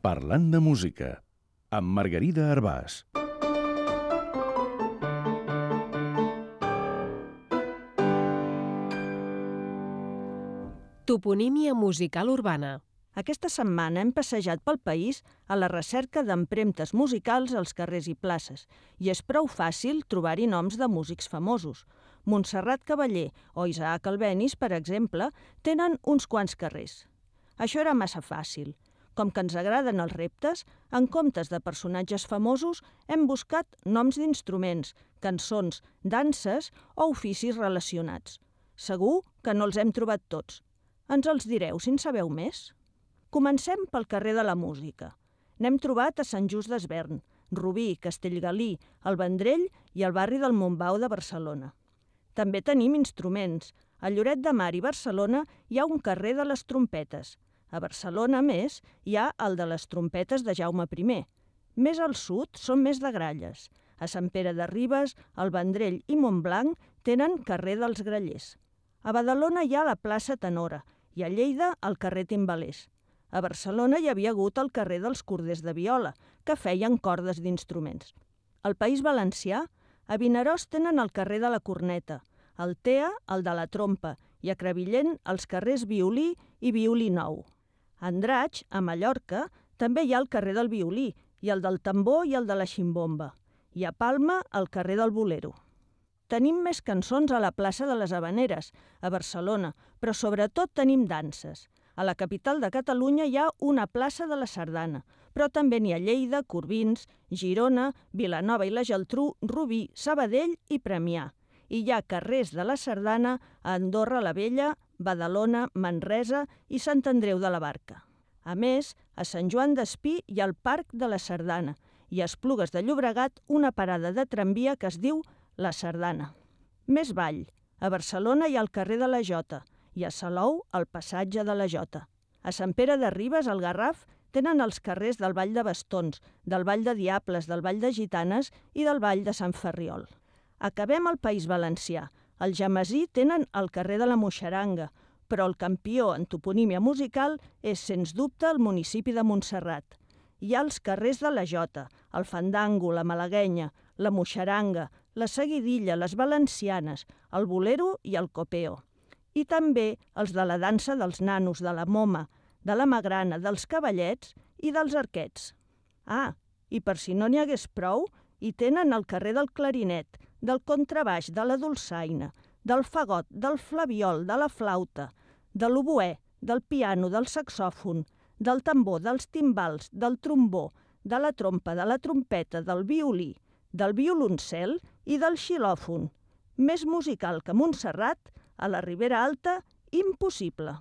Parlant de música, amb Margarida Arbàs. Toponímia musical urbana. Aquesta setmana hem passejat pel país a la recerca d'empremtes musicals als carrers i places, i és prou fàcil trobar-hi noms de músics famosos. Montserrat Caballé o Isaac Albéniz, per exemple, tenen uns quants carrers. Això era massa fàcil. Com que ens agraden els reptes, en comptes de personatges famosos hem buscat noms d'instruments, cançons, danses o oficis relacionats. Segur que no els hem trobat tots. Ens els direu si en sabeu més? Comencem pel carrer de la música. N'hem trobat a Sant Just d'Esvern, Rubí, Castellgalí, el Vendrell i el barri del Montbau de Barcelona. També tenim instruments. A Lloret de Mar i Barcelona hi ha un carrer de les trompetes. A Barcelona, a més, hi ha el de les trompetes de Jaume I. Més al sud són més de gralles. A Sant Pere de Ribes, el Vendrell i Montblanc tenen carrer dels Grallers. A Badalona hi ha la plaça Tenora i a Lleida el carrer Timbalers. A Barcelona hi havia hagut el carrer dels Corders de Viola, que feien cordes d'instruments. Al País Valencià, a Vinaròs tenen el carrer de la Corneta, al Tea el de la Trompa i a Crevillent els carrers Violí i Violí Nou. A Andratx, a Mallorca, també hi ha el carrer del Violí i el del Tambor i el de la Ximbomba. I a Palma el carrer del Bolero. Tenim més cançons a la plaça de les Havaneres, a Barcelona, però sobretot tenim danses. A la capital de Catalunya hi ha una plaça de la Sardana, però també n'hi ha a Lleida, Corbins, Girona, Vilanova i la Geltrú, Rubí, Sabadell i Premià. I hi ha carrers de la Sardana a Andorra la Vella, Badalona, Manresa i Sant Andreu de la Barca. A més, a Sant Joan d'Espí hi ha el Parc de la Sardana i a Esplugues de Llobregat una parada de tramvia que es diu La Sardana. Més vall. A Barcelona hi ha el carrer de la Jota i a Salou el passatge de la Jota. A Sant Pere de Ribes, al Garraf, tenen els carrers del Vall de Bastons, del Vall de Diables, del Vall de Gitanes i del Vall de Sant Ferriol. Acabem al País Valencià. Al Jamesí tenen el carrer de la Moixeranga, però el campió en toponímia musical és, sens dubte, el municipi de Montserrat. Hi ha els carrers de la Jota, el Fandango, la Malaguenya, la Moixeranga, la Seguidilla, les Valencianes, el Bolero i el Copeo. I també els de la dansa dels nanos, de la moma, de la magrana, dels cavallets i dels arquets. Ah, i per si no n'hi hagués prou, hi tenen el carrer del clarinet, del contrabaix, de la dolçaina, del fagot, del flabiol, de la flauta, de l'oboè, del piano, del saxòfon, del tambor, dels timbals, del trombó, de la trompa, de la trompeta, del violí, del violoncel i del xilòfon. Més musical que Montserrat, a la Ribera Alta, impossible.